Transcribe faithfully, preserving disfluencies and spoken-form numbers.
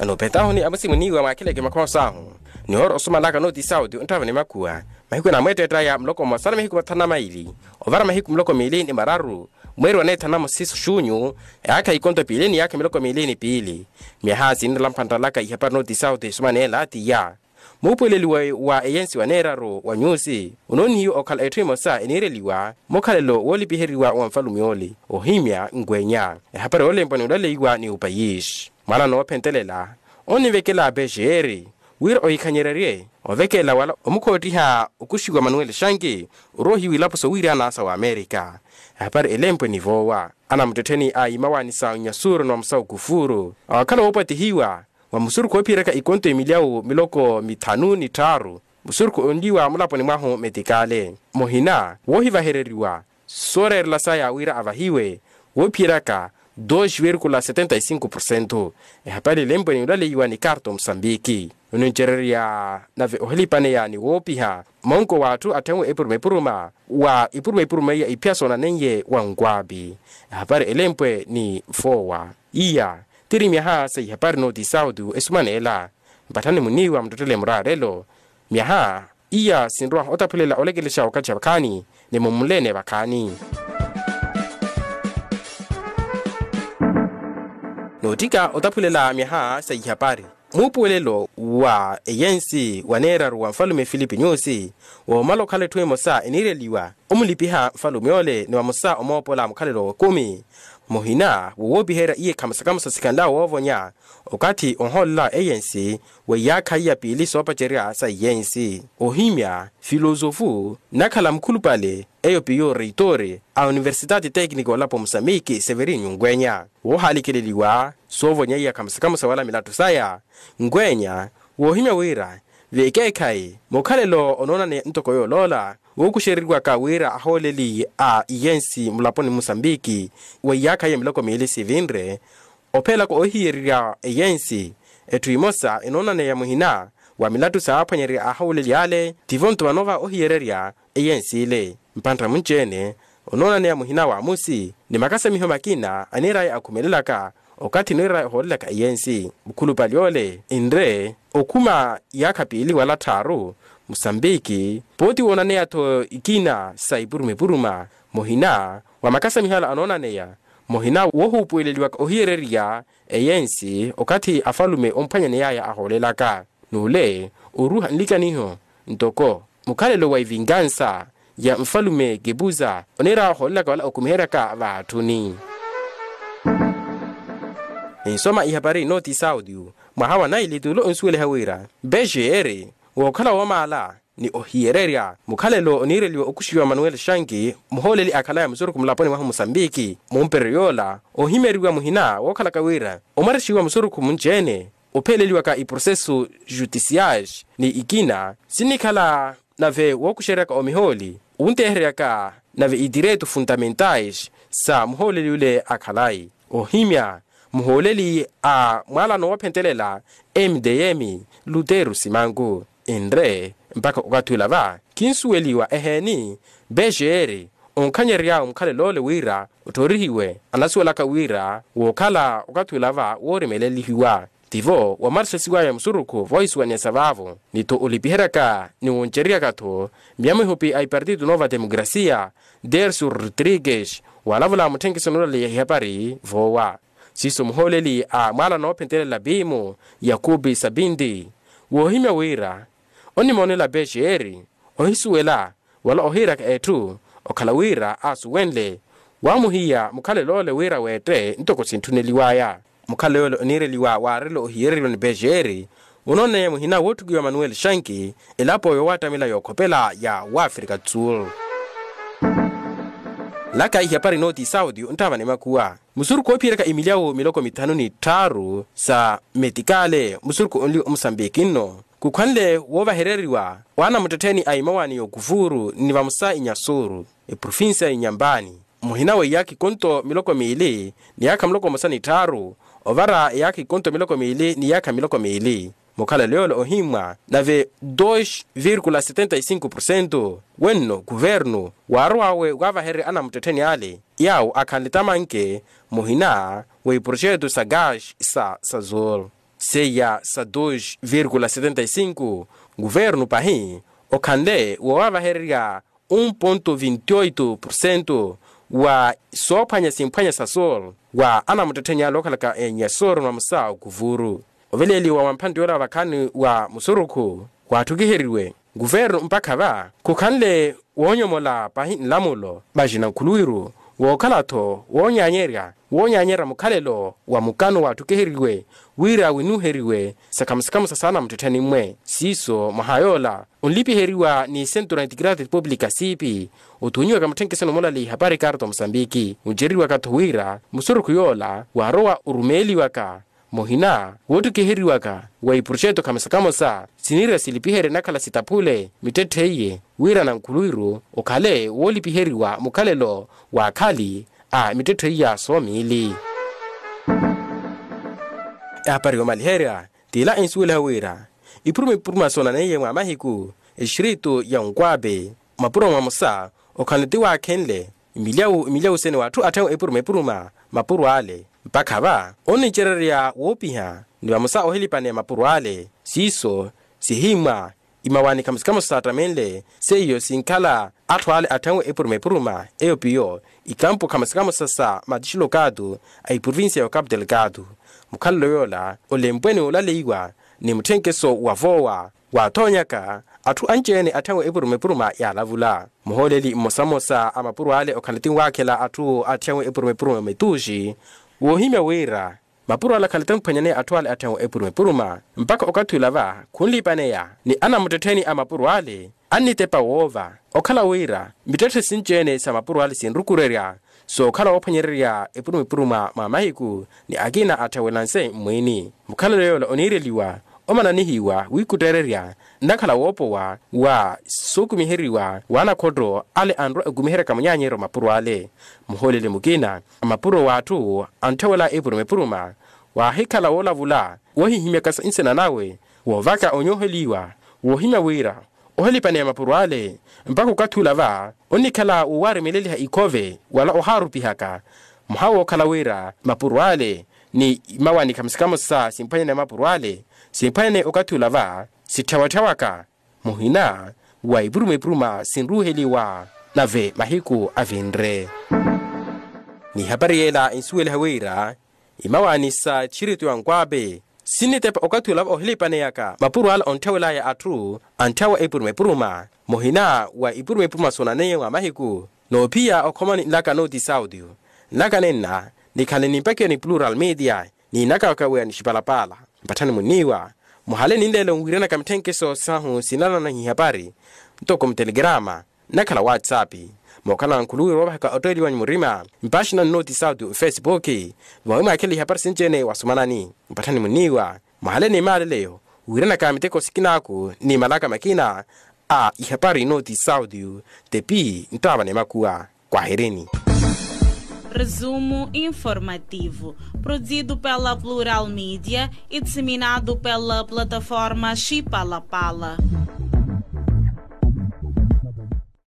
Anoopetahuni amusimuniwa mwaakhileke makhoosahu, ni ooro osumanaka nooti sauti onttava ni makhuwa. Mahiku enamweetteettaya muloko mmosa na mahiku mathanu na maili, ovara mahiku muloko miili ni mararu, mweeri wa neethanu na musisu xunyu, eyaakha ikonto piili ni eyaakha miloko miili ni piili. Myaha sinrela mphantalaka ihapari nooti sauti esumaneela tiya. Muupuweleliwe wa eyensi wa neeraru wa nyusi, onoonihiwa okhala etthu emosa eniireliwa mukhalelo woolipiheriwa wa nfalume ole. Ohimya nkwenya ehapari yoolempwa ni olaleiwa ni upayisi, mwaana noophentelela onivekela pexeeri wira ohikhanyererye ovekela wala omukhoottiha okuxiwa manuel shanki, oroohiwa ilapo sowiirana sa wamerika. Ehapari elempwe ni voowa anamuttettheni a imawaani sa nyasuru ni wamusa okufuru awakhala woopwatihiwa wa musurukhu oophiyeraka ikonto emilyawu miloko mithanu ni tthaaru, musurukhu onliwa mulaponi mwahu metikale muhina woohivahereriwa sooreerela saya wira avahiwe woophiyeraka dos vírgula setenta y cinco por cento. Ehapari elempwe ni olaleiwa ni karto musambiki onincererya nave ohilipaneya ni woopiha monko w'atthu atthenwe epuruma epuruma wa ipuruma ipuruma iya iphiya soonaneiye wa nkwaapi. Ehapari elempwe ni foowa iya tiri myaha sa ihapari nooti sauti esumaneela. Mpatthani muniiwa muttettele muraarelo myaha iya sinrowa otaphulela olekelexa okathi vakhaani ni mumulene vakhaani. Noottika otaphulela myaha sa ihapari muupuwelelo wa eyensi wa neeraru wa nfalume filipi nyusi woomala okhala etthu emosa eniireliwa omulipiha nfalume ole ni vamosa omoopola mukhalelo wa ekumi muhina wowoopiherya iye khamosa khamosa sikhanlawo woovonya okathi onhoolela eyensi wa iyaakha iya piili soopacerya sa iyensi. Ohimya filosofu nnakhala mukhulupale eyo piyo reitori a universitati tekniko olapo musamiki severinyu nkwenya woohaalikeleliwa soovonyeiya khamosa khamosa wala milattu saya. Nkwenya woohimya wira vekeekhayi mukhalelo onoonaneya ntoko yooloola wookuxereriwaka wira ahooleli a iyensi mulaponi musambiki wa iyaakha iya miloko miili sivinre ophelaka ohiyererya eyensi etthu imosa enoonaneya muhina wa milattu saaphwanyererya ahooleli ale tivo-nto vanoova ohiyererya eyensi ile mpantta munci-ene onoonaneya muhina wa amusi ni makasamiho makina aniiraya akhumelelaka okathi aniiraya ohoolelaka eyensi mukhulupale ole enre okhuma iyaakha piili wala tthaaru musambiki pooti woonaneya-tho ikina sa ipuruma ipuruma muhina wa makasamiho ala anoonaneya muhina woohuupuweleliwaka ohiyererya eyensi okathi afalume omphwanyaneyaya ahoolelaka n'ule oruuha nlikaniho ntoko mukhalelo wa ivinkansa ya nfalume kepuza oniira ohoolelaka wala okumiheryaka v'atthuni. Ninsoma ihapari nooti saudio mwaha wa naili tuulo onsuweliha wira mpexeeri wookhala woomaala ni ohiyererya mukhalelo oniireliwa okuxiwa manuel shanki muhooleli akhalaya musurukhu mulaponi mwahu musambiki mumperyo yoola ohimyeriwa muhina wookhalaka wira omwarexiwa musurukhu munci-ene opheleliwaka iprocesso juticiais ni ikina sinnikhala nave wookuxeryaka omihooli onteheryaka nave idireito fundamentais sa muhooleli ole akhalayi ohimya muhooleli a mwaalano woophentelela mdm lutero simanku enre mpakha okathi ula va khinsuweliwa eheeni pexeeri onkhanyerery'awe mukhalelo ole wira otthorihiwe anasuwelaka wira wookhala okathi ula va woorimelelihiwa tivo wamarixa siwaya musurukhu voohisuwaniyasa vaavo ni-tho olipiheryaka ni woncereryaka-tho miyamihupi a ipartito nova demokrasia dersu rodrigues waalavula mutthenkiso noolaleya ihapari voowa siiso muhooleli a mwaala noophentelela piimu yakupi sapinti woohimya wira onimoonela pexeeri ohisuwela wala ohiiraka etthu okhala wira aasuwenle waamuhiya mukhalelo ole wira weette ntoko sintthuneliwaya mukhalelo ole oniireliwa waarelo ohiyereriwa ni pexeeri onooneya muhina wootthukiwa manuel shanki elapo yoowattamela yookhopela ya wafrika tsur laka ihapari nooti saudio nttava ni makhuwa musurukhu oophiyeryaka imilyawo miloko mithanu ni tthaaru sa metikale musurukhu onli omusambiki nno khukhwanle woovahereriwa waana muttettheni a imawaani y'okufuuru ni vamosa inyasuuru eprovincia y'inyambani muhina wa iyaakha ikonto miloko miili ni iyaakha muloko mmosa ni tthaaru ovara iyaakha ikonto miloko miili ni iyaakha miloko miili mukhalelo yoole ohimmwa nave dos vírgula setenta y cinco por cento wenno kuvernu waarow'awe waavahererya anamuttettheni ale yaawo akhanle tamanke muhina wa iproxeto sa gas sa sazol seiya sa dos virgula setenta y cinco. Guvernu pahi okhanle woowavahererya un ponto vinti oito porcento wa soophwanya simphwanya sa sol wa anamuttettheni ale okhalaka enyasoro na musa okuvuru. Oveleeliwa wa mphantti yoola vakhaani wa musurukhu waatthukiheriwe guvernu mpakha va khukhanle woonyomola pahi nlamulo vaxina nkhuluwiru wookhala-tho woonyaanyerya woonyaanyerya mukhalelo wa mukano waatthukhiheriwe wira winuuheriwe sakhamo sakhamo sa saana muttettheni mmwe siiso mwaha yoola onlipiheriwa ni centro da integridade pública siipi. Othuunyiwaka mutthenkesoni omulali ihapari karto mosambiki oncereriwaka-tho wira musurukhu yoola waarowa orumeeliwaka muhina woottukiheriwaka wa iproxeto khamosa khamosa siniira silipiherye nakhala sitaphule mittetthe iye wira nankhuluwiru okhale woolipiheriwa mukhalelo w'akhali a mittetthe iya soomiili. Ehapari yoomaliherya t'ila ensuweliha wira ipuruma ipuruma soonaneiye mwa mahiku exiritu ya onkwape mapuro mwamosa okhanle ti waakhenle imilyawu imilyawu sene w'atthu atthenwe epuruma epuruma mapuro ale mpakha va onnicererya woopiha ni vamosa ohilipaneya mapuro ale siiso sihimmwa imawaani khamosa khamosa saattamenle seiyo sinkhala atthu ale atthenwe epuruma epuruma eyo piyo ikampo khamosa khamosa sa matixilokatu a iprovincia ya okapu telekatu mukhalelo yoola olempwe ni olaleiwa ni mutthenkeso wa voowa waathoonyaka atthu anci-ene atthenwe epuruma epuruma yaalavula muhooleli mmosa mmosa a mapuro ale okhala ti nwaakhela atthu atthenwe epuruma epuruma metuuxi woohimya wira mapuro ale akhala ti amphwanyaneya atthu ale atthenwe epuruma epuruma mpakha okathi ula va khunlipaneya ni anamuttettheni a mapuro ale annitepa woova okhala wira mittetthe sinci-ene sa mapuro ale sinrukurerya sookhala woophwanyererya epuruma epuruma mwa mahiku ni akina atthenwe lanse mmwiini mukhalelo yoola oniireliwa omananihiwa wiikutteererya nnakhala woopowa wa sookumiheriwa w'anakhotto ale anrwa ekumiheryaka munyaanyeryo mapuro ale muhooleli mukina a mapuro w'atthu anthewela epuruma epuruma waahikhala woolavula woohihimyaka sa nsina nawe woovaka onyooheliwa woohimya wira ohelipaneya mapuro ale mpakha okathi ula va onnikhala woowaremeleliha ikhove wala ohaarupihaka mwaha wookhala wira mapuro ale ni imawaani khamosa khamosa simphwanyaneya mapuro ale simphwanyaneya okathi ula va sitthyawatthyawaka muhina wa ipuruma ipuruma sinruuheliwa nave mahiku avinre ni ihapari yeela ensuweliha wira imawaani sa txiritu ya onkwape sinnitepa okathi olava ohilipaneyaka mapuro ala ontthawelaya atthu antthyawa epuruma epuruma muhina wa ipuruma epuruma soonaneiye mwa mahiku noophiya okhomani nlaka nooti saudio nlaka nenna nikhanle ni mpakiwa ni plural media ni naka wakaweya ni xipalapala mpatthani munniiwa muhale ninleelo nwiiranaka mithenkeso sahu sinanana ihapari ntoko mutelekerama nnakhala whatsapp mookhala nkhuluwiro woovahaka ottoeliwa ni murima mpaaxina nnooti sauti ofesipuki vawi mwaakhela ihapari sinci-ene wasumanani mpatthani munniiwa mwahale ni maaleleyo wiiranaka miteko sikinaaku ni malaka makina a ihapari nnooti sauti tepi nttaava ni makuwa kwaherini. Resumo informativo, produzido pela Plural Mídia e disseminado pela plataforma Chipalapala.